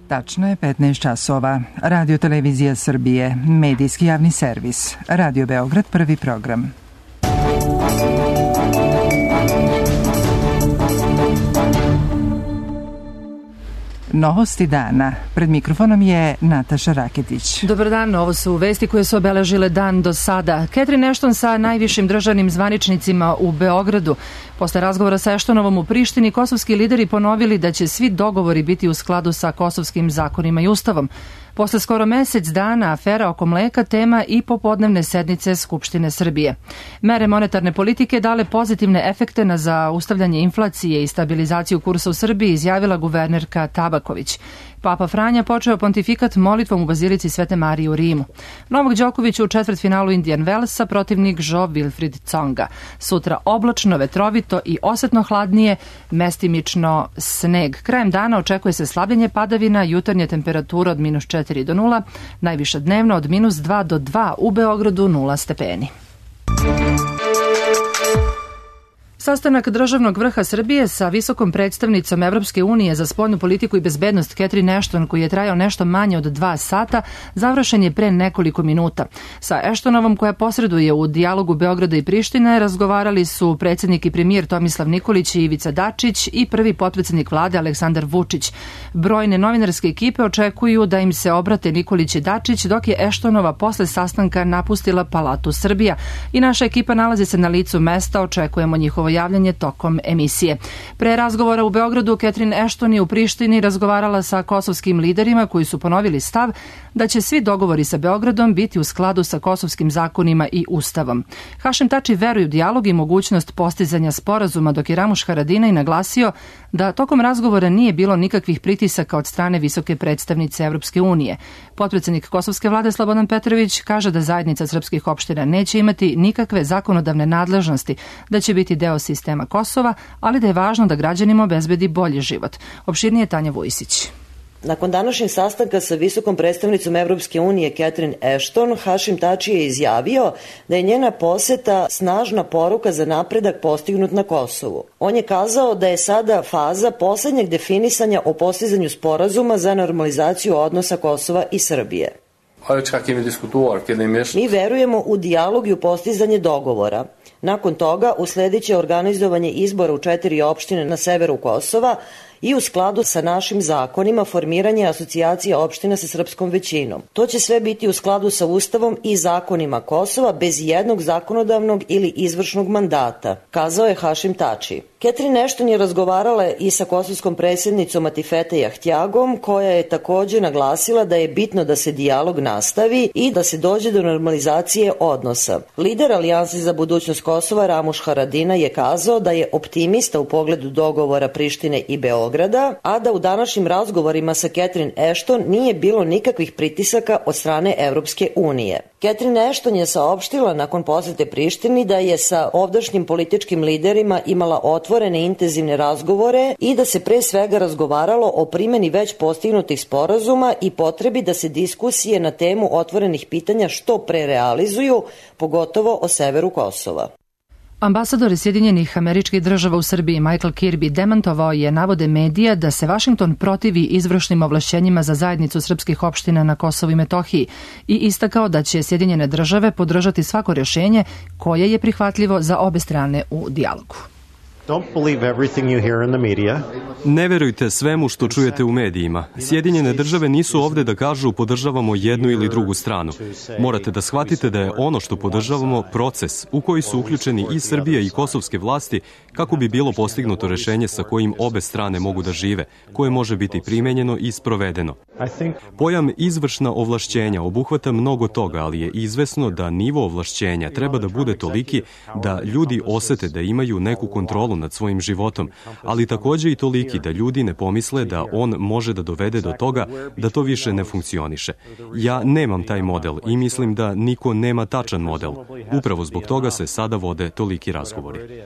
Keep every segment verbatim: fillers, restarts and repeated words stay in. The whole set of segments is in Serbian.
Tačno je petnaest časova. Radio Televizija Srbije, medijski javni servis. Radio Beograd, prvi program. Novosti dana. Pred mikrofonom je Nataša Raketić. Dobar dan, ovo su vesti koje su obeležile dan do sada. Catherine Ashton sa najvišim državnim zvaničnicima u Beogradu. Posle razgovora sa Ashtonovom u Prištini, kosovski lideri ponovili da će svi dogovori biti u skladu sa kosovskim zakonima i ustavom. Posle skoro mesec dana afera oko mleka tema i popodnevne sednice Skupštine Srbije. Mere monetarne politike dale pozitivne efekte na zaustavljanje inflacije i stabilizaciju kursa u Srbiji, izjavila guvernerka Tabaković. Papa Franja počeo pontifikat molitvom u Bazilici Svete Marije u Rimu. Novak Đoković u četvrtfinalu Indian Wellsa, protivnik Jo Wilfried Tsonga. Sutra oblačno, vetrovito i osetno hladnije, mestimično sneg. Krajem dana očekuje se slabljenje padavina, jutarnje temperatura od minus četiri do nula, najviša dnevno od minus dva do dva, u Beogradu nula stepeni. Sastanak državnog vrha Srbije sa visokom predstavnicom Evropske unije za spoljnu politiku i bezbednost Catherine Ashton, koji je trajao nešto manje od dva sata, završen je pre nekoliko minuta. Sa Ashtonovom, koja posreduje u dijalogu Beograda i Prištine, razgovarali su predsjednik i premijer Tomislav Nikolić i Ivica Dačić i prvi potpredsjednik vlade Aleksandar Vučić. Brojne novinarske ekipe očekuju da im se obrate Nikolić i Dačić, dok je Ashtonova posle sastanka napustila Palatu Srbija i naša ekipa nalazi se na licu mesta, očekujemo njihovo javljanje tokom emisije. Pre razgovora u Beogradu, Catherine Ashton je u Prištini razgovarala sa kosovskim liderima koji su ponovili stav da će svi dogovori sa Beogradom biti u skladu sa kosovskim zakonima i ustavom. Hašim Tači veruje u dijalog i mogućnost postizanja sporazuma, dok je Ramuš Haradinaj naglasio da tokom razgovora nije bilo nikakvih pritisaka od strane visoke predstavnice Evropske unije. Potpredsjednik kosovske vlade Slobodan Petrović kaže da zajednica srpskih opština neće imati nikakve zakonodavne nadležnosti, da će biti deo sistema Kosova, ali da je važno da građanima obezbedi bolji život. Opširnije Tanja Vujsić. Nakon današnjeg sastanka sa visokom predstavnicom Evropske unije Catherine Ashton, Hašim Tači je izjavio da je njena poseta snažna poruka za napredak postignut na Kosovu. On je kazao da je sada faza poslednjeg definisanja o postizanju sporazuma za normalizaciju odnosa Kosova i Srbije. Mi verujemo u dijalog i u postizanje dogovora. Nakon toga usledit će organizovanje izbora u četiri opštine na severu Kosova i u skladu sa našim zakonima formiranje asocijacija opština sa srpskom većinom. To će sve biti u skladu sa Ustavom i zakonima Kosova bez jednog zakonodavnog ili izvršnog mandata, kazao je Hašim Tači. Catherine Ashton je razgovarala i sa kosovskom predsjednicom Atifete Jahtjagom, koja je također naglasila da je bitno da se dijalog nastavi i da se dođe do normalizacije odnosa. Lider Alijanse za budućnost Kosova Ramuš Haradinaj je kazao da je optimista u pogledu dogovora Prištine i Beograda, a da u današnjim razgovorima sa Catherine Ashton nije bilo nikakvih pritisaka od strane Evropske unije. Catherine Ashton je saopštila nakon posete Prištini da je sa ovdašnjim političkim liderima imala otvorene intenzivne razgovore i da se pre svega razgovaralo o primjeni već postignutih sporazuma i potrebi da se diskusije na temu otvorenih pitanja što pre realizuju, pogotovo o severu Kosova. Ambasador Sjedinjenih Američkih Država u Srbiji Michael Kirby demantovao je navode medija da se Vašington protivi izvršnim ovlašćenjima za zajednicu srpskih opština na Kosovu i Metohiji i istakao da će Sjedinjene Države podržati svako rješenje koje je prihvatljivo za obe strane u dijalogu. Ne verujte svemu što čujete u medijima. Sjedinjene države nisu ovde da kažu podržavamo jednu ili drugu stranu. Morate da shvatite da je ono što podržavamo proces u koji su uključeni i Srbija i kosovske vlasti kako bi bilo postignuto rešenje sa kojim obe strane mogu da žive, koje može biti primenjeno i sprovedeno. Pojam izvršna ovlašćenja obuhvata mnogo toga, ali je izvesno da nivo ovlašćenja treba da bude toliki da ljudi osete da imaju neku kontrolu nad svojim životom, ali takođe i toliki da ljudi ne pomisle da on može da dovede do toga da to više ne funkcioniše. Ja nemam taj model i mislim da niko nema tačan model. Upravo zbog toga se sada vode toliki razgovori.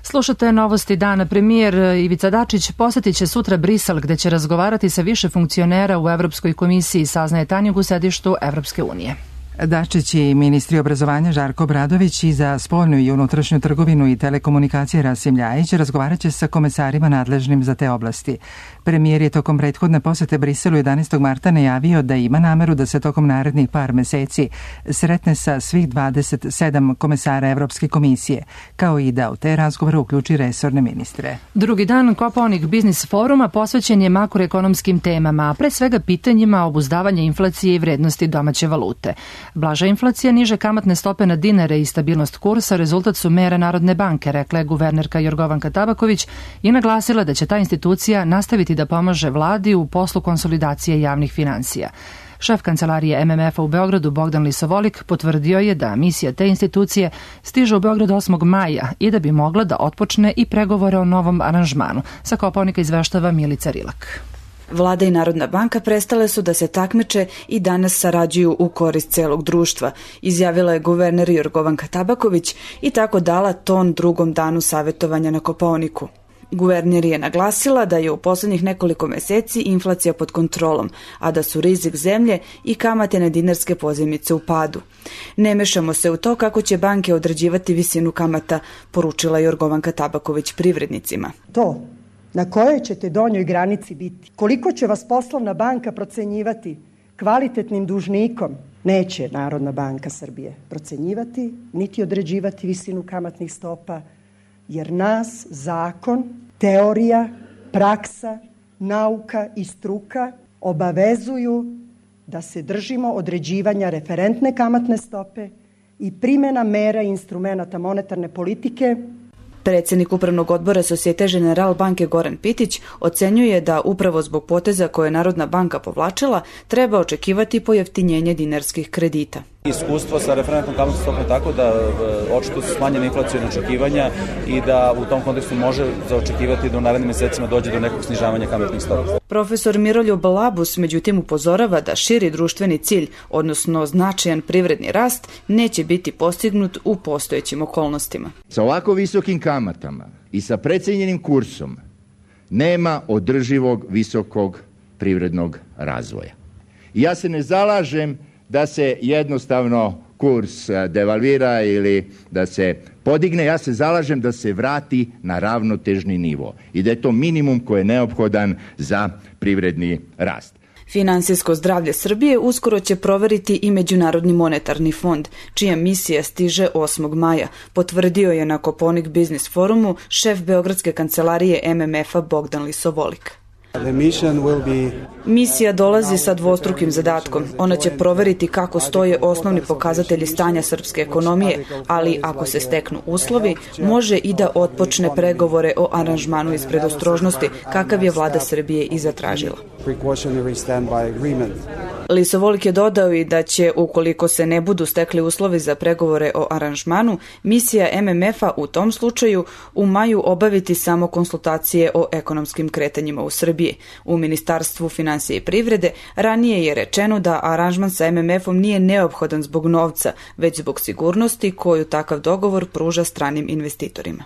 Slušate novosti dana. Premijer Ivica Dačić posjetit će sutra Brisel, gde će razgovarati sa više funkcionera u Evropskoj komisiji, saznaje tajnik u sedištu Evropske unije. Dačić i ministri obrazovanja Žarko Obradović i za spoljnu i unutrašnju trgovinu i telekomunikacije Rasim Ljajić razgovarat će sa komesarima nadležnim za te oblasti. Premijer je tokom prethodne posete Briselu jedanaestog marta najavio da ima nameru da se tokom narednih par meseci sretne sa svih dvadeset sedam komesara Evropske komisije, kao i da u te razgovore uključi resorne ministre. Drugi dan Kopaonik biznis foruma posvećen je makroekonomskim temama, a pre svega pitanjima obuzdavanja inflacije i vrednosti domaće valute. Blaža inflacija, niže kamatne stope na dinare i stabilnost kursa rezultat su mera Narodne banke, rekla je guvernerka Jorgovanka Tabaković i naglasila da će ta institucija nastaviti da pomaže vladi u poslu konsolidacije javnih finansija. Šef kancelarije M M F-a u Beogradu Bogdan Lisovolik potvrdio je da misija te institucije stiže u Beograd osmog maja i da bi mogla da otpočne i pregovore o novom aranžmanu. Sa Kopaonika izveštava Milica Rilak. Vlada i Narodna banka prestale su da se takmiče i danas sarađuju u korist celog društva, izjavila je guverner Jorgovanka Tabaković i tako dala ton drugom danu savjetovanja na Kopaoniku. Guverner je naglasila da je u poslednjih nekoliko meseci inflacija pod kontrolom, a da su rizik zemlje i kamate na dinarske pozajmice u padu. Ne mešamo se u to kako će banke određivati visinu kamata, poručila Jorgovanka Tabaković privrednicima. To na kojoj ćete donjoj granici biti, koliko će vas poslovna banka procenjivati kvalitetnim dužnikom, neće Narodna banka Srbije procenjivati, niti određivati visinu kamatnih stopa, jer nas zakon, teorija, praksa, nauka i struka obavezuju da se držimo određivanja referentne kamatne stope i primjena mera i instrumenata monetarne politike. Predsednik Upravnog odbora Societe Generale banke Goran Pitić ocenjuje da upravo zbog poteza koje je Narodna banka povlačila treba očekivati pojeftinjenje dinarskih kredita. Iskustvo sa referentnom kamatnom stopom tako da očito su smanjene inflacione očekivanja i da u tom kontekstu može zaočekivati da u narednim mesecima dođe do nekog snižavanja kamatnih stopa. Profesor Miroljub Labus međutim upozorava da širi društveni cilj, odnosno značajan privredni rast, neće biti postignut u postojećim okolnostima. Sa ovako visokim kamatama i sa precenjenim kursom nema održivog visokog privrednog razvoja. I ja se ne zalažem da se jednostavno kurs devalvira ili da se podigne, ja se zalažem da se vrati na ravnotežni nivo i da je to minimum koji je neophodan za privredni rast. Finansijsko zdravlje Srbije uskoro će proveriti i Međunarodni monetarni fond, čija misija stiže osmog maja, potvrdio je na Kopaonik biznis forumu šef Beogradske kancelarije M M F-a Bogdan Lisovolik. Misija dolazi sa dvostrukim zadatkom. Ona će proveriti kako stoje osnovni pokazatelji stanja srpske ekonomije, ali ako se steknu uslovi, može i da otpočne pregovore o aranžmanu iz predostrožnosti, kakav je vlada Srbije i zatražila. Lisovolik je dodao i da će, ukoliko se ne budu stekli uslovi za pregovore o aranžmanu, misija M M F-a u tom slučaju u maju obaviti samo konsultacije o ekonomskim kretanjima u Srbiji. U Ministarstvu finansije i privrede ranije je rečeno da aranžman sa M M F-om nije neophodan zbog novca, već zbog sigurnosti koju takav dogovor pruža stranim investitorima.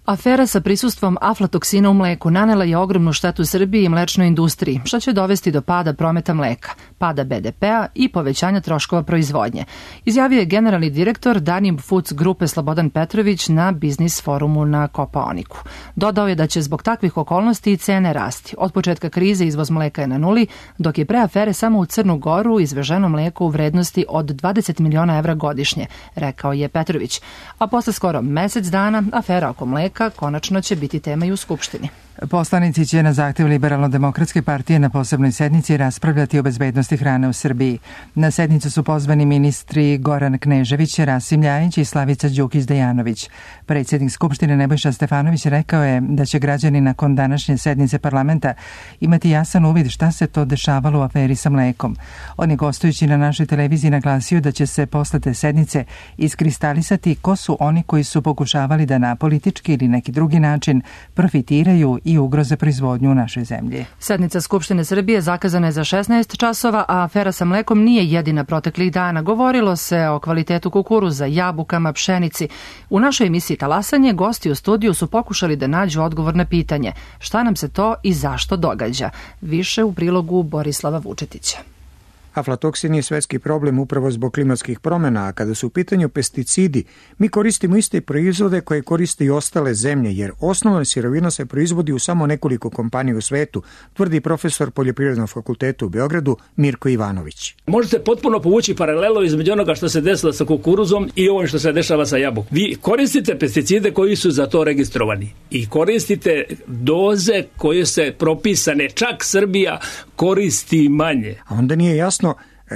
Afera sa prisustvom aflatoksina u mleku nanela je ogromnu štetu Srbiji i mlečnoj industriji, što će dovesti do pada prometa mleka, pada B D P-a i povećanja troškova proizvodnje, izjavio je generalni direktor Danim Foods grupe Slobodan Petrović na biznis forumu na Kopaoniku. Dodao je da će zbog takvih okolnosti i cene rasti. Od početka krize izvoz mleka je na nuli, dok je pre afere samo u Crnu Goru izveženo mleko u vrednosti od dvadeset miliona evra godišnje, rekao je Petrović. A posle skoro mesec dana afera oko mleka konačno će biti tema i u Skupštini. Poslanici će na zahtev Liberalno-demokratske partije na posebnoj sednici raspravljati o bezbednosti hrane u Srbiji. Na sednicu su pozvani ministri Goran Knežević, Rasim Ljajić i Slavica Đukić-Dejanović. Predsjednik Skupštine Nebojša Stefanović rekao je da će građani nakon današnje sednice parlamenta imati jasan uvid šta se to dešavalo u aferi sa mlekom. On je gostujući na našoj televiziji naglasio da će se posle te sednice iskristalisati ko su oni koji su pokušavali da na politički ili neki drugi način profitiraju i ugroze proizvodnju u našoj zemlji. Sednica Skupštine Srbije zakazana je za šesnaest časova, a afera sa mlekom nije jedina proteklih dana. Govorilo se o kvalitetu kukuruza, jabukama, pšenici. U našoj emisiji Talasanje gosti u studiju su pokušali da nađu odgovor na pitanje šta nam se to i zašto događa. Više u prilogu Borislava Vučetića. Aflatoksin je svetski problem upravo zbog klimatskih promjena, a kada su u pitanju pesticidi, mi koristimo iste proizvode koje koriste i ostale zemlje, jer osnovna sirovina se proizvodi u samo nekoliko kompanija u svetu, tvrdi profesor Poljoprivrednog fakulteta u Beogradu Mirko Ivanović. Možete potpuno povući paralelu između onoga što se desilo sa kukuruzom i ovim što se dešava sa jabukom. Vi koristite pesticide koji su za to registrovani i koristite doze koje se propisane, čak Srbija koristi manje. A onda nije jasno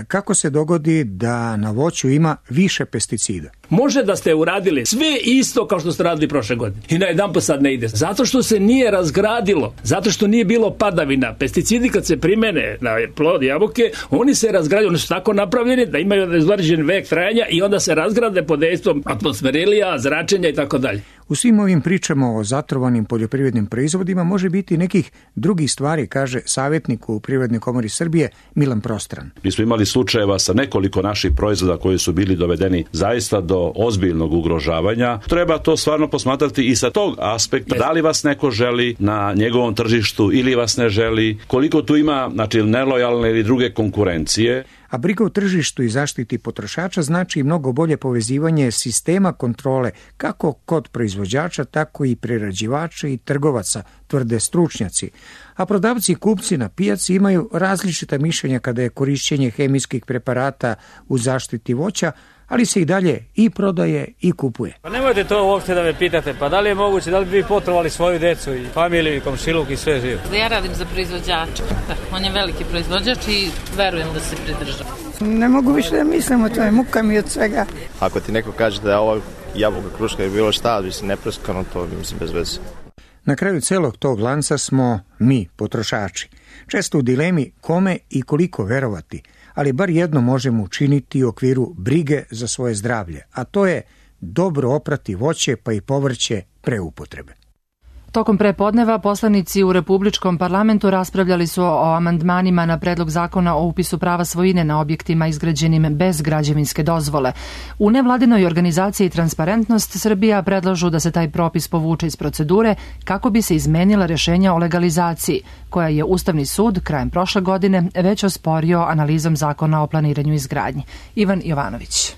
kako se dogodi da na voću ima više pesticida. Može da ste uradili sve isto kao što ste radili prošle godine i na jedan put sad ne ide. Zato što se nije razgradilo, zato što nije bilo padavina. Pesticidi kad se primene na plod jabuke, oni se razgrađuju, oni su tako napravljeni da imaju određen vek trajanja i onda se razgrade pod dejstvom atmosferilija, zračenja i tako dalje. U svim ovim pričama o zatrovanim poljoprivrednim proizvodima može biti nekih drugih stvari, kaže savjetnik u Privrednoj komori Srbije Milan Prostran. Mi smo imali slučajeva sa nekoliko naših proizvoda koji su bili dovedeni zaista do ozbiljnog ugrožavanja. Treba to stvarno posmatrati i sa tog aspekta. Da li vas neko želi na njegovom tržištu ili vas ne želi, koliko tu ima, znači, nelojalne ili druge konkurencije. A briga o tržištu i zaštiti potrošača znači i mnogo bolje povezivanje sistema kontrole kako kod proizvođača, tako i prerađivača i trgovaca, tvrde stručnjaci. A prodavci i kupci na pijaci imaju različita mišljenja kada je korišćenje hemijskih preparata u zaštiti voća, ali se i dalje i prodaje i kupuje. Pa nemojte to uopšte da me pitate, pa da li je moguće, da li bi vi potrovali svoju decu i familiju i komšiluk i sve živo? Ja radim za proizvođača, on je veliki proizvođač i verujem da se pridržava. Ne mogu više da mislim o tome, muka mi od svega. Ako ti neko kaže da je ovo jabuka, kruška ili bilo šta, mislim nepreskano, to mislim bez veze. Na kraju celog tog lanca smo mi, potrošači. Često u dilemi kome i koliko verovati, ali bar jedno možemo učiniti u okviru brige za svoje zdravlje, a to je dobro oprati voće pa i povrće pre upotrebe. Tokom prepodneva poslanici u Republičkom parlamentu raspravljali su o amandmanima na predlog zakona o upisu prava svojine na objektima izgrađenim bez građevinske dozvole. U nevladinoj organizaciji Transparentnost Srbija predlažu da se taj propis povuče iz procedure kako bi se izmenila rješenja o legalizaciji, koja je Ustavni sud krajem prošle godine već osporio analizom zakona o planiranju i izgradnji. Ivan Jovanović.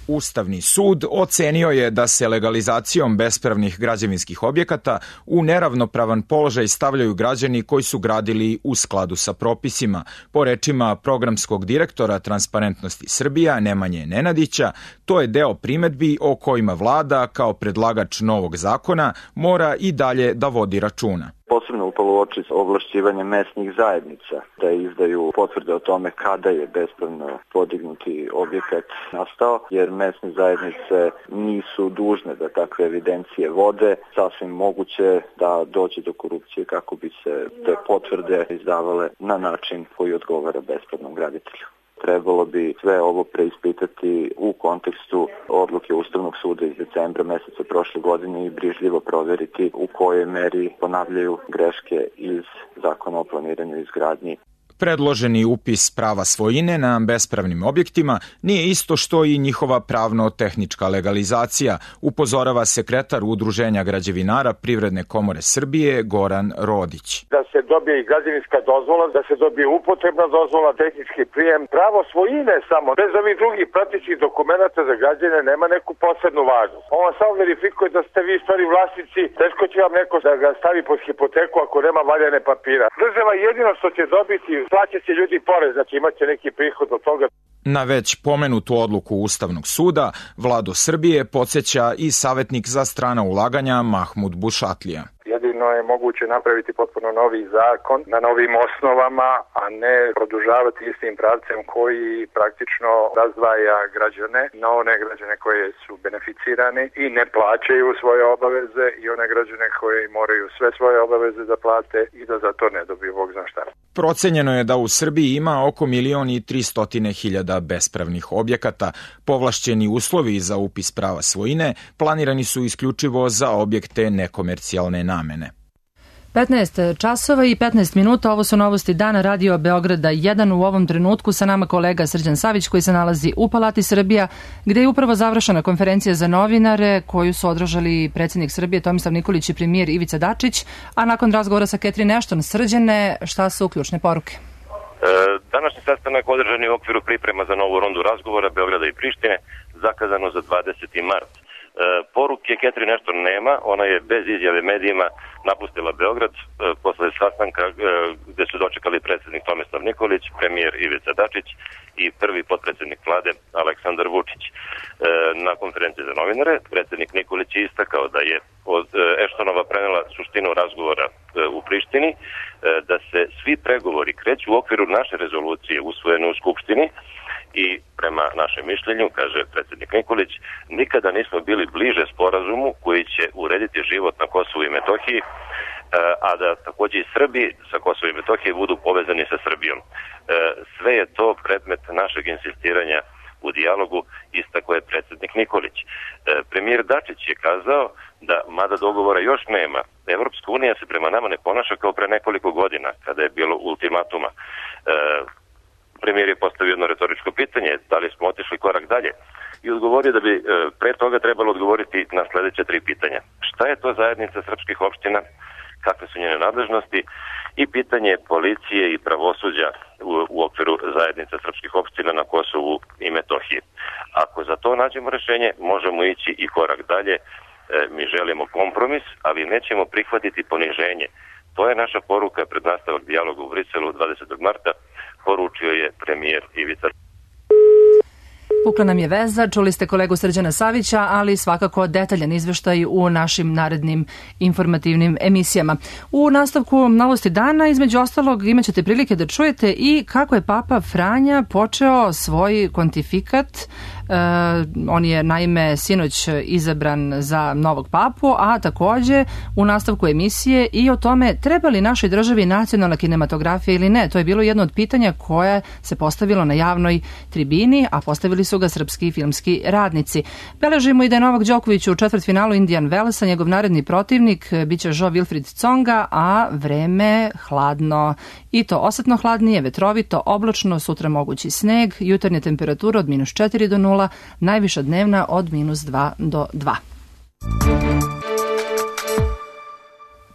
Ustavni sud ocenio je da se legalizacijom bespravnih građevinskih objekata u neravnopravan položaj stavljaju građani koji su gradili u skladu sa propisima. Po rečima programskog direktora Transparentnosti Srbija Nemanje Nenadića, to je deo primedbi o kojima vlada kao predlagač novog zakona mora i dalje da vodi računa. Posebno upalo u oči ovlašćivanje mesnih zajednica da izdaju potvrde o tome kada je bespravno podignuti objekat nastao, jer mesne zajednice nisu dužne da takve evidencije vode. Sasvim moguće da dođe do korupcije kako bi se te potvrde izdavale na način koji odgovara bespravnom graditelju. Trebalo bi sve ovo preispitati u kontekstu odluke Ustavnog suda iz decembra meseca prošle godine i brižljivo proveriti u kojoj meri ponavljaju greške iz Zakona o planiranju i izgradnji. Predloženi upis prava svojine na bespravnim objektima nije isto što i njihova pravno-tehnička legalizacija, upozorava sekretar Udruženja građevinara Privredne komore Srbije Goran Rodić. Da se dobije i građevinska dozvola, da se dobije upotrebna dozvola, tehnički prijem, pravo svojine samo, bez ovih drugih pratećih dokumenata za građane nema neku posebnu važnost. On samo verifikuje da ste vi stvari vlasnici, teško će vam neko da ga stavi pod hipoteku ako nema valjane papira. Država jedino što će dobiti, plaćat će ljudi porez, znači imat će neki prihod od toga. Na već pomenutu odluku Ustavnog suda, Vladu Srbije podsjeća i savjetnik za strana ulaganja Mahmud Bušatlija. Jedino je moguće napraviti potpuno novi zakon na novim osnovama, a ne produžavati istim pravcem koji praktično razdvaja građane na one građane koje su beneficirani i ne plaćaju svoje obaveze i one građane koje moraju sve svoje obaveze da plate i da za to ne dobiju bog zna šta. Procenjeno je da u Srbiji ima oko milion i tristotine hiljada bespravnih objekata. Povlašćeni uslovi za upis prava svojine planirani su isključivo za objekte nekomercijalne namene. petnaest časova i petnaest minuta, ovo su novosti dana Radio Beograda jedan. U ovom trenutku sa nama kolega Srđan Savić koji se nalazi u Palati Srbija, gde je upravo završena konferencija za novinare koju su održali predsjednik Srbije Tomislav Nikolić i premijer Ivica Dačić, a nakon razgovora sa Catherine Ashton, Srđane, šta su ključne poruke? Današnji sastanak održan je u okviru priprema za novu rundu razgovora Beograda i Prištine, zakazano za dvadeseti mart. Poruke Catherine Ashton nema, ona je bez izjave medijima napustila Beograd posle sastanka gde su dočekali predsjednik Tomislav Nikolić, premijer Ivica Dačić i prvi potpredsjednik vlade Aleksandar Vučić. Na konferenciji za novinare predsjednik Nikolić je istakao da je od Ashtonova prenela suštinu razgovora u Prištini, da se svi pregovori kreću u okviru naše rezolucije usvojene u Skupštini i prema našem mišljenju, kaže predsjednik Nikolić, nikada nismo bili bliže sporazumu koji će urediti život na Kosovu i Metohiji, a da takođe i Srbi sa Kosovo i Metohije budu povezani sa Srbijom. Sve je to predmet našeg insistiranja u dijalogu, istako je predsjednik Nikolić. Premijer Dačić je kazao da, mada dogovora još nema, Evropska unija se prema nama ne ponaša kao pre nekoliko godina, kada je bilo ultimatuma. Premijer je postavio jedno retoričko pitanje, da li smo otišli korak dalje, i odgovorio da bi pre toga trebalo odgovoriti na sledeće tri pitanja. Šta je to zajednica srpskih opština, kakve su njene nadležnosti i pitanje policije i pravosuđa u, u okviru zajednica srpskih opština na Kosovu i Metohiji. Ako za to nađemo rešenje, možemo ići i korak dalje. E, mi želimo kompromis, ali nećemo prihvatiti poniženje. To je naša poruka pred nastavak dijaloga u Briselu dvadesetog marta, poručio je premijer Ivica. Pukla nam je veza, čuli ste kolegu Srđana Savića, ali svakako detaljan izveštaj u našim narednim informativnim emisijama. U nastavku Novosti dana, između ostalog, imat ćete prilike da čujete i kako je Papa Franja počeo svoj kontifikat. Uh, on je naime sinoć izabran za novog papu, a takođe u nastavku emisije i o tome treba li našoj državi nacionalna kinematografija ili ne. To je bilo jedno od pitanja koje se postavilo na javnoj tribini, a postavili su ga srpski filmski radnici. Beležimo i da je Novak Đoković u četvrtfinalu Indian Wellsa, njegov naredni protivnik biće Jo Wilfried Tsonga, a vreme hladno. I to osetno hladnije, vetrovito, oblačno, sutra mogući sneg, jutarnja temperatura od minus četiri do nula, najviša dnevna od minus dva do dva.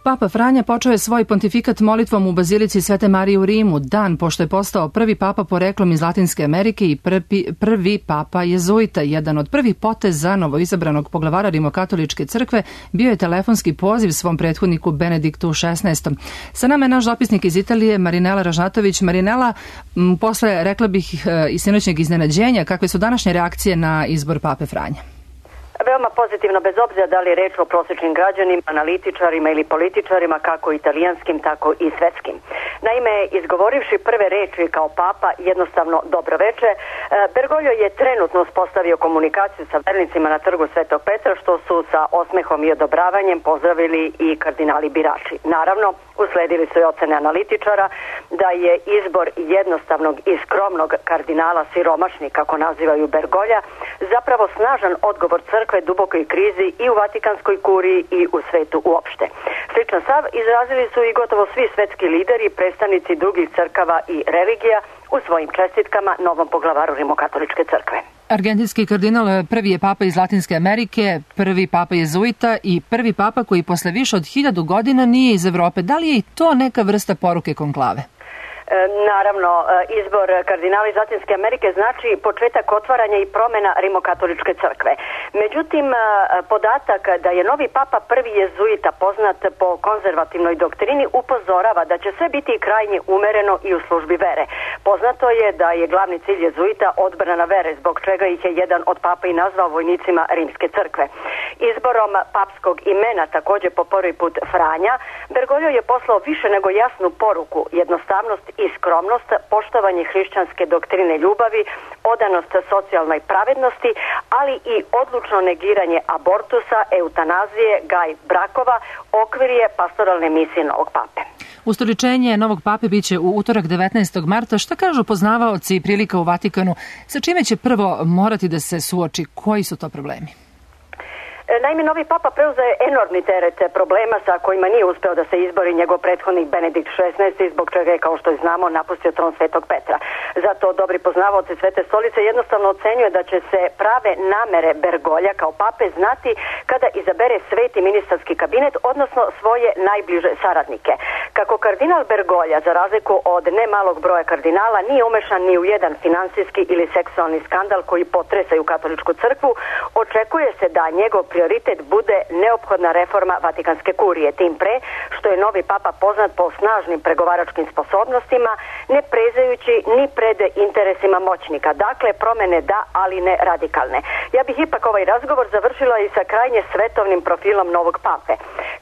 Papa Franja počeo je svoj pontifikat molitvom u Bazilici Svete Marije u Rimu, dan pošto je postao prvi papa poreklom iz Latinske Amerike i prvi, prvi papa jezuita. Jedan od prvih poteza novoizabranog poglavara Rimokatoličke crkve bio je telefonski poziv svom prethodniku Benediktu šesnaestom. Sa nama je naš dopisnik iz Italije, Marinela Ražnatović. Marinela, m, posle, rekla bih, i sinoćnjeg iznenađenja, kakve su današnje reakcije na izbor pape Franja? Veoma pozitivno, bez obzira da li je reč o prosječnim građanima, analitičarima ili političarima, kako italijanskim, tako i svetskim. Naime, izgovorivši prve reči kao papa, jednostavno dobro veče, Bergoglio je trenutno uspostavio komunikaciju sa vernicima na trgu Svetog Petra, što su sa osmehom i odobravanjem pozdravili i kardinali birači. Naravno, usledili su i ocene analitičara da je izbor jednostavnog i skromnog kardinala siromašni, kako nazivaju Bergoglja, zapravo snažan odgovor crkve dubokoj krizi i u Vatikanskoj kuriji i u svetu uopšte. Sličan stav izrazili su i gotovo svi svetski lideri, predstavnici drugih crkava i religija u svojim čestitkama novom poglavaru Rimokatoličke crkve. Argentinski kardinal prvi je papa iz Latinske Amerike, prvi papa jezuita i prvi papa koji posle više od hiljadu godina nije iz Evrope. Da li je i to neka vrsta poruke konklave? Naravno, izbor kardinala iz Latinske Amerike znači početak otvaranja i promjena Rimokatoličke crkve. Međutim, podatak da je novi papa prvi jezuita poznat po konzervativnoj doktrini upozorava da će sve biti krajnje umereno i u službi vere. Poznato je da je glavni cilj jezuita odbrana vere, zbog čega ih je jedan od papa i nazvao vojnicima Rimske crkve. Izborom papskog imena, također po prvi put Franja, Bergoglio je poslao više nego jasnu poruku, jednostavnost i skromnost, poštovanje hrišćanske doktrine ljubavi, odanost socijalnoj pravednosti, ali i odlučno negiranje abortusa, eutanazije, gaj brakova, okvir je pastoralne misije novog pape. Ustoličenje novog pape biće u utorak devetnaestog marta. Šta kažu poznavaoci i prilika u Vatikanu? Sa čime će prvo morati da se suoči? Koji su to problemi? Naime, novi papa preuzeo enormni teret problema sa kojima nije uspeo da se izbori njegov prethodnik Benedikt šesnaesti, zbog čega je, kao što znamo, napustio tron Svetog Petra. Zato dobri poznavaoci Svete stolice jednostavno ocenjuje da će se prave namere Bergolja kao pape znati kada izabere sveti ministarski kabinet, odnosno svoje najbliže saradnike. Kako kardinal Bergolja, za razliku od nemalog broja kardinala, nije umešan ni u jedan finansijski ili seksualni skandal koji potresaju katoličku crkvu, očekuje se da njegov prioritet bude neophodna reforma Vatikanske kurije, tim pre što je novi papa poznat po snažnim pregovaračkim sposobnostima, ne prezajući ni pred interesima moćnika. Dakle, promene da, ali ne radikalne. Ja bih ipak ovaj razgovor završila i sa krajnje svetovnim profilom novog pape.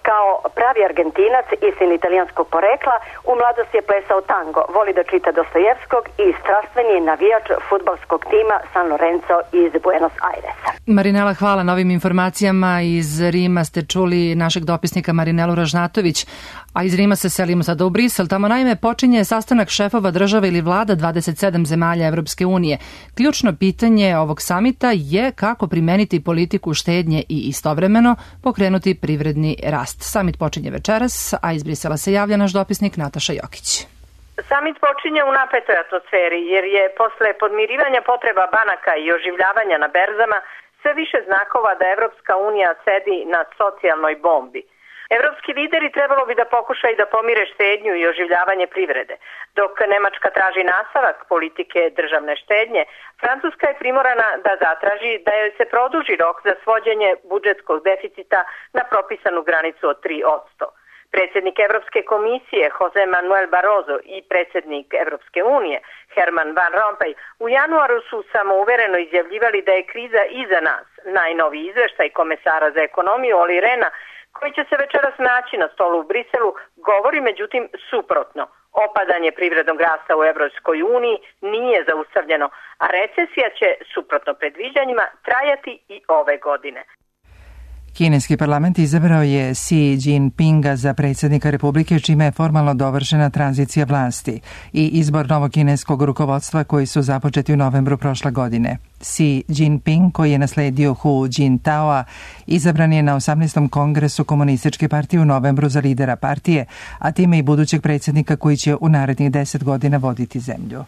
Kao pravi Argentinac i sin italijanskog porekla, u mladosti je plesao tango, voli da čita Dostojevskog i strastveni je navijač fudbalskog tima San Lorenzo iz Buenos Airesa. Marinela, hvala na ovim informacijama. Iz Rima ste čuli našeg dopisnika Marinelu Ražnatović, a iz Rima se selimo sada u Brisel. Tamo naime počinje sastanak šefova država ili vlada dvadeset sedam zemalja Evropske unije. Ključno pitanje ovog samita je kako primeniti politiku štednje i istovremeno pokrenuti privredni rast. Samit počinje večeras, a iz Brisela se javlja naš dopisnik Nataša Jokić. Samit počinje u napetoj atmosferi jer je posle podmirivanja potreba banaka i oživljavanja na berzama sve više znakova da Evropska unija sedi na socijalnoj bombi. Evropski lideri trebalo bi da pokušaju da pomire štednju i oživljavanje privrede. Dok Nemačka traži nastavak politike državne štednje, Francuska je primorana da zatraži da joj se produži rok za svođenje budžetskog deficita na propisanu granicu od tri posto. Predsjednik Evropske komisije Jose Manuel Barroso i predsjednik Evropske unije Herman Van Rompuy u januaru su samouvereno izjavljivali da je kriza iza nas. Najnoviji izveštaj komesara za ekonomiju Olli Rehna, koji će se večeras naći na stolu u Briselu, govori međutim suprotno. Opadanje privrednog rasta u Evropskoj uniji nije zaustavljeno, a recesija će, suprotno predviđanjima, trajati i ove godine. Kineski parlament izabrao je Xi Jinpinga za predsjednika Republike, čime je formalno dovršena tranzicija vlasti i izbor novog kineskog rukovodstva koji su započeti u novembru prošle godine. Xi Jinping, koji je nasledio Hu Jintaoa, izabran je na osamnaestom kongresu Komunističke partije u novembru za lidera partije, a time i budućeg predsjednika koji će u narednih deset godina voditi zemlju.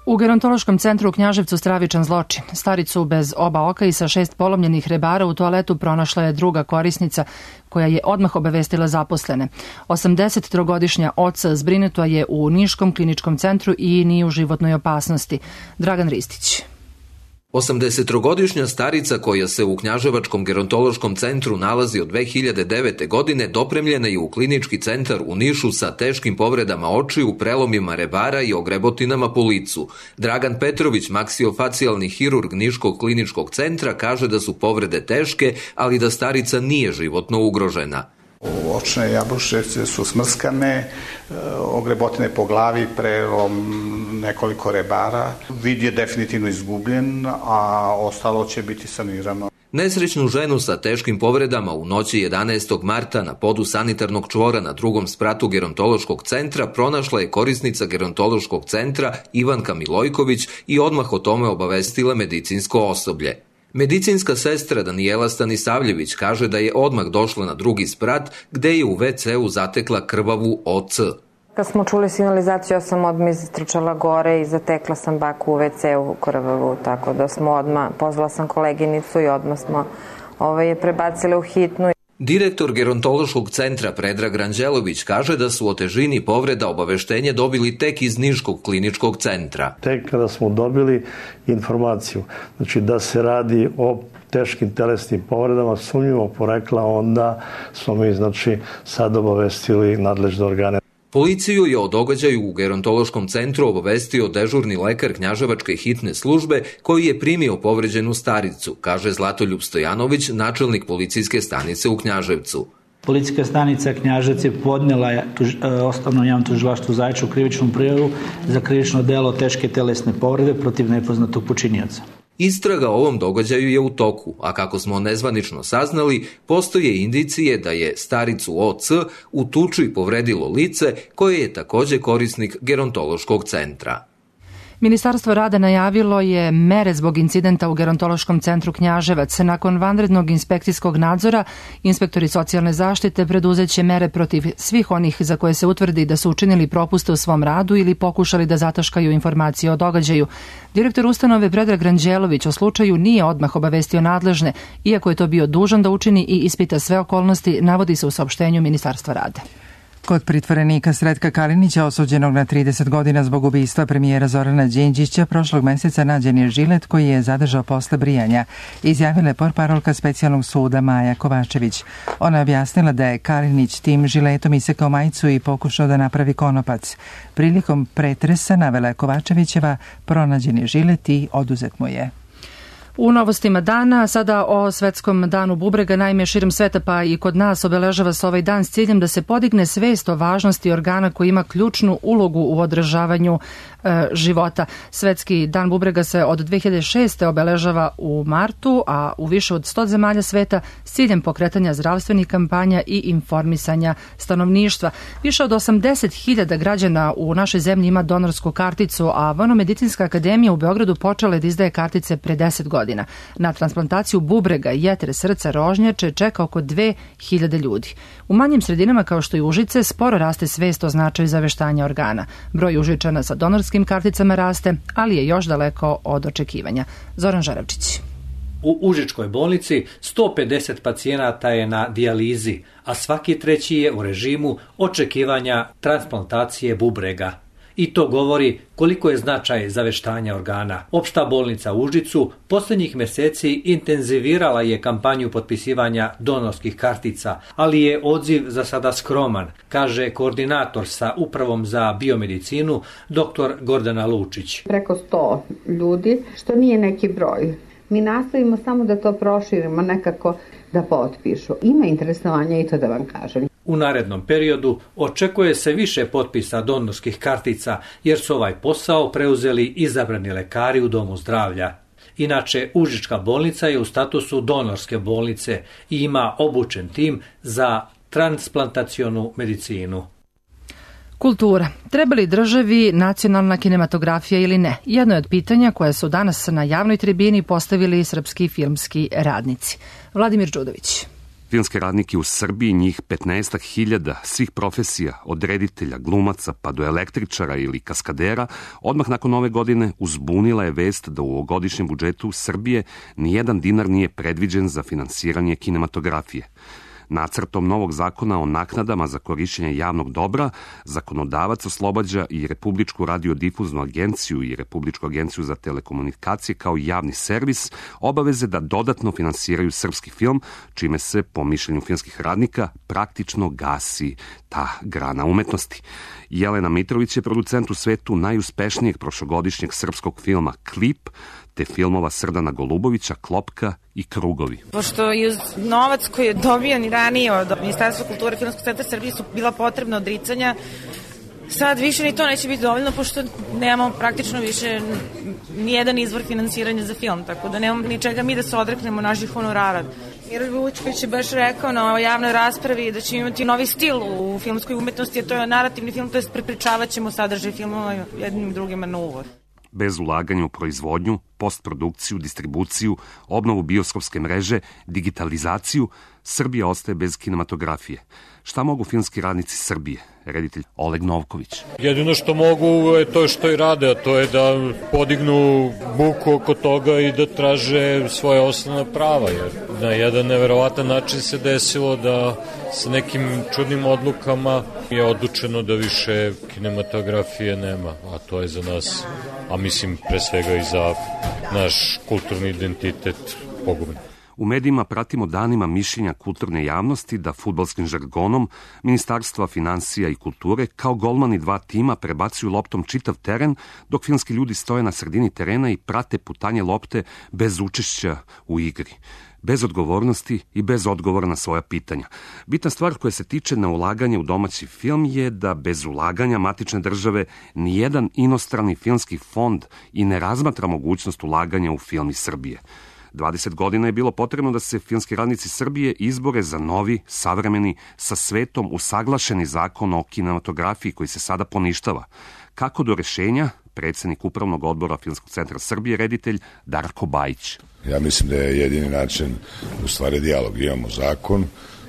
U gerontološkom centru u Knjaževcu stravičan zločin. Staricu bez oba oka i sa šest polomljenih rebara u toaletu pronašla je druga korisnica koja je odmah obavestila zaposlene. osamdesettrogodišnja oca zbrinuta je u Niškom kliničkom centru i nije u životnoj opasnosti. Dragan Ristić. osamdesettrogodišnja starica koja se u Knjaževačkom gerontološkom centru nalazi od dve hiljade devete. godine dopremljena je u klinički centar u Nišu sa teškim povredama očiju, prelomima rebara i ogrebotinama po licu. Dragan Petrović, maksilofacijalni hirurg Niškog kliničkog centra, kaže da su povrede teške, ali da starica nije životno ugrožena. Očne jabuševce su smrskane, ogrebotine po glavi, prelom nekoliko rebara. Vid je definitivno izgubljen, a ostalo će biti sanirano. Nesrećnu ženu sa teškim povredama u noći jedanaestog marta na podu sanitarnog čvora na drugom spratu gerontološkog centra pronašla je korisnica gerontološkog centra Ivanka Milojković i odmah o tome obavestila medicinsko osoblje. Medicinska sestra Danijela Stanisavljević kaže da je odmah došla na drugi sprat gde je u ve ce u zatekla krvavu o ce. Kad smo čuli signalizaciju, ja sam odmah istrčala gore i zatekla sam baku u ve ce u krvavu, tako da smo odmah, pozvala sam koleginicu i odmah smo ovaj, je prebacili u hitnu. Direktor gerontološkog centra Predrag Ranđelović kaže da su o težini povreda obaveštenje dobili tek iz Niškog kliničkog centra. Tek kada smo dobili informaciju, znači da se radi o teškim telesnim povredama sumnjivog porekla, onda smo mi znači sad obavestili nadležne organe. Policiju je o događaju u gerontološkom centru obavestio dežurni lekar Knjaževačke hitne službe koji je primio povređenu staricu, kaže Zlatoljub Stojanović, načelnik policijske stanice u Knjaževcu. Policijska stanica Knjaževac je podnela tuž, osnovno javno tužilaštvo u Zaječaru krivičnu prijavu za krivično delo teške telesne povrede protiv nepoznatog počinioca. Istraga o ovom događaju je u toku, a kako smo nezvanično saznali, postoje indicije da je staricu o ce u tuči povredilo lice koje je takođe korisnik gerontološkog centra. Ministarstvo rada najavilo je mere zbog incidenta u Gerontološkom centru Knjaževac. Nakon vanrednog inspekcijskog nadzora, inspektori socijalne zaštite preduzeće mere protiv svih onih za koje se utvrdi da su učinili propuste u svom radu ili pokušali da zataškaju informacije o događaju. Direktor ustanove Predrag Ranđelović o slučaju nije odmah obavestio nadležne, iako je to bio dužan da učini i ispita sve okolnosti, navodi se u saopštenju Ministarstva rada. Kod pritvorenika Sretka Kalinića, osuđenog na trideset godina zbog ubistva premijera Zorana Đinđića, prošlog meseca nađen je žilet koji je zadržao posle brijanja, izjavila je portparolka specijalnog suda Maja Kovačević. Ona je objasnila da je Kalinić tim žiletom isekao majicu i pokušao da napravi konopac. Prilikom pretresa, navela je Kovačevićeva, pronađen je žilet i oduzet mu je. U novostima dana, sada o svetskom danu bubrega, naime širom sveta pa i kod nas obeležava se ovaj dan s ciljem da se podigne svest o važnosti organa koji ima ključnu ulogu u održavanju e, života. Svetski dan bubrega se od dve hiljade šeste. obeležava u martu, a u više od sto zemalja sveta s ciljem pokretanja zdravstvenih kampanja i informisanja stanovništva. Više od osamdeset hiljada građana u našoj zemlji ima donorsku karticu, a Vojno-medicinska akademija u Beogradu počela je da izdaje kartice pre deset godina. Na transplantaciju bubrega, jetre, srca, rožnjače čeka oko dve hiljade ljudi. U manjim sredinama kao što je Užice sporo raste svest o značaju zaveštanja organa. Broj Užičana sa donorskim karticama raste, ali je još daleko od očekivanja. Zoran Žaravčić. U Užičkoj bolnici sto pedeset pacijenata je na dijalizi, a svaki treći je u režimu očekivanja transplantacije bubrega. I to govori koliko je značaj zaveštanja organa. Opšta bolnica u Užicu posljednjih mjeseci intenzivirala je kampanju potpisivanja donorskih kartica, ali je odziv za sada skroman, kaže koordinator sa Upravom za biomedicinu dr. Gordana Lučić. Preko sto ljudi, što nije neki broj. Mi nastavimo samo da to proširimo, nekako da potpišu. Ima interesovanja i to da vam kažem. U narednom periodu očekuje se više potpisa donorskih kartica, jer su ovaj posao preuzeli izabrani lekari u domu zdravlja. Inače, Užička bolnica je u statusu donorske bolnice i ima obučen tim za transplantacionu medicinu. Kultura. Treba li državi nacionalna kinematografija ili ne? Jedno je od pitanja koje su danas na javnoj tribini postavili srpski filmski radnici. Vladimir Đudović. Filmske radnike u Srbiji, njih petnaest hiljada svih profesija, od reditelja, glumaca pa do električara ili kaskadera, odmah nakon ove godine uzbunila je vest da u ovogodišnjem budžetu Srbije nijedan dinar nije predviđen za finansiranje kinematografije. Nacrtom novog zakona o naknadama za korišćenje javnog dobra, zakonodavac oslobađa i Republičku radiodifuznu agenciju i Republičku agenciju za telekomunikacije kao javni servis obaveze da dodatno finansiraju srpski film, čime se, po mišljenju filmskih radnika, praktično gasi ta grana umetnosti. Jelena Mitrović je producent u svetu najuspešnijeg prošlogodišnjeg srpskog filma Klip, te filmova Srdana Golubovića, Klopka i Krugovi. Pošto i uz novac koji je dobijan i ranije od Ministarstva kulture i Filmskog centra Srbije su bila potrebna odricanja, sad više ni to neće biti dovoljno, pošto nemamo praktično više nijedan izvor finansiranja za film, tako da nemamo ni čega mi da se odreknemo naših honorara. Miroljub Vučković je baš rekao na javnoj raspravi da će imati novi stil u filmskoj umetnosti, a to je narativni film, to je prepričavat ćemo sadržaj filmova jednim i drugima na uvod. Bez ulaganja u proizvodnju, postprodukciju, distribuciju, obnovu bioskopske mreže, digitalizaciju, Srbija ostaje bez kinematografije. Šta mogu filmski radnici Srbije? Reditelj Oleg Novković. Jedino što mogu je to što i rade, a to je da podignu buku oko toga i da traže svoje osnovna prava, jer na jedan neverovatan način se desilo da sa nekim čudnim odlukama je odlučeno da više kinematografije nema, a to je za nas, a mislim pre svega i za naš kulturni identitet pogubno. U medijima pratimo danima mišljenja kulturne javnosti da fudbalskim žargonom Ministarstva financija i kulture kao golmani dva tima prebacuju loptom čitav teren, dok filmski ljudi stoje na sredini terena i prate putanje lopte bez učešća u igri, bez odgovornosti i bez odgovora na svoja pitanja. Bitna stvar koja se tiče na ulaganje u domaći film je da bez ulaganja matične države nijedan inostrani filmski fond i ne razmatra mogućnost ulaganja u film iz Srbije. dvadeset godina je bilo potrebno da se filmski radnici Srbije izbore za novi, savremeni, sa svetom usaglašeni zakon o kinematografiji koji se sada poništava. Kako do rešenja, predsjednik Upravnog odbora Filmskog centra Srbije, reditelj Darko Bajić. Ja mislim da je jedini način u stvari dijalog. Imamo zakon,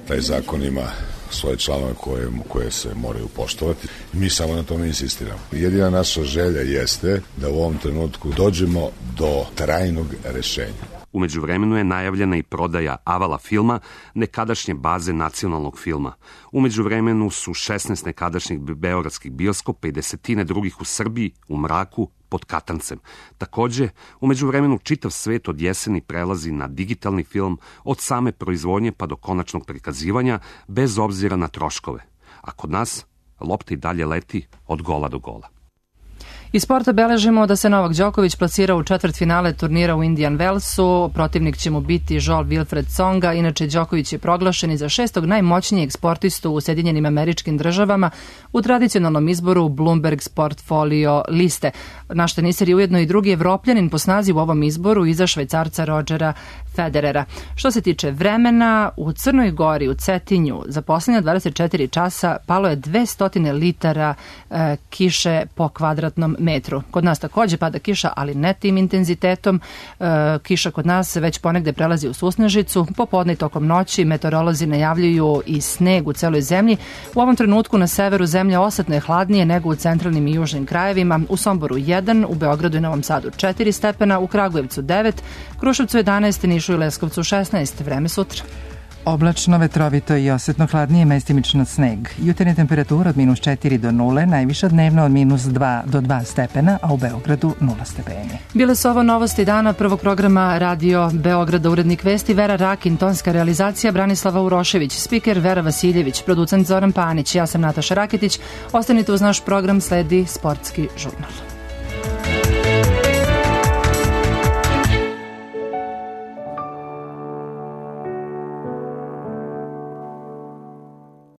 taj zakon ima svoje članove koje, koje se moraju poštovati. Mi samo na tome insistiramo. Jedina naša želja jeste da u ovom trenutku dođemo do trajnog rešenja. U međuvremenu je najavljena i prodaja Avala filma, nekadašnje baze nacionalnog filma. U međuvremenu su šesnaest nekadašnjih beogradskih bioskopa i desetine drugih u Srbiji, u mraku, pod katancem. Takođe, u međuvremenu čitav svet od jeseni prelazi na digitalni film, od same proizvodnje pa do konačnog prikazivanja, bez obzira na troškove. A kod nas, lopta i dalje leti od gola do gola. Iz sporta beležimo da se Novak Đoković plasirao u četvrtfinale turnira u Indian Wellsu. Protivnik će mu biti Joel Wilfred Tsonga. Inače, Đoković je proglašen i za šestog najmoćnijeg sportistu u Sjedinjenim Američkim Državama u tradicionalnom izboru Bloomberg Sportfolio liste. Naš teniser je ujedno i drugi Evropljanin po snazi u ovom izboru iza Švajcarca Rodgera Federera. Što se tiče vremena, u Crnoj Gori, u Cetinju, za posljednja dvadeset četiri časa palo je dvesta litara e, kiše po kvadratnom metru. Kod nas takođe pada kiša, ali ne tim intenzitetom. E, kiša kod nas već ponegde prelazi u susnežicu. Popodne i tokom noći meteorolozi najavljuju i sneg u celoj zemlji. U ovom trenutku na severu zemlje osetno je hladnije nego u centralnim i južnim krajevima. U Somboru jedan, u Beogradu i Novom Sadu četiri stepena, u Kragujevcu devet, Kruševcu jedanaest, Nišu i Leskovcu šesnaest. Vreme sutra. Oblačno, vetrovito i osetno hladnije, mestimično sneg. Jutarnja temperatura od minus četiri do nule, najviša dnevno od minus dva do dva stepena, a u Beogradu nula stepeni. Bile su ovo novosti dana prvog programa Radio Beograda, urednik vesti Vera Rakin, tonska realizacija Branislava Urošević, spiker Vera Vasiljević, producent Zoran Panić, ja sam Nataša Raketić. Ostanite uz naš program, sledi Sportski žurnal.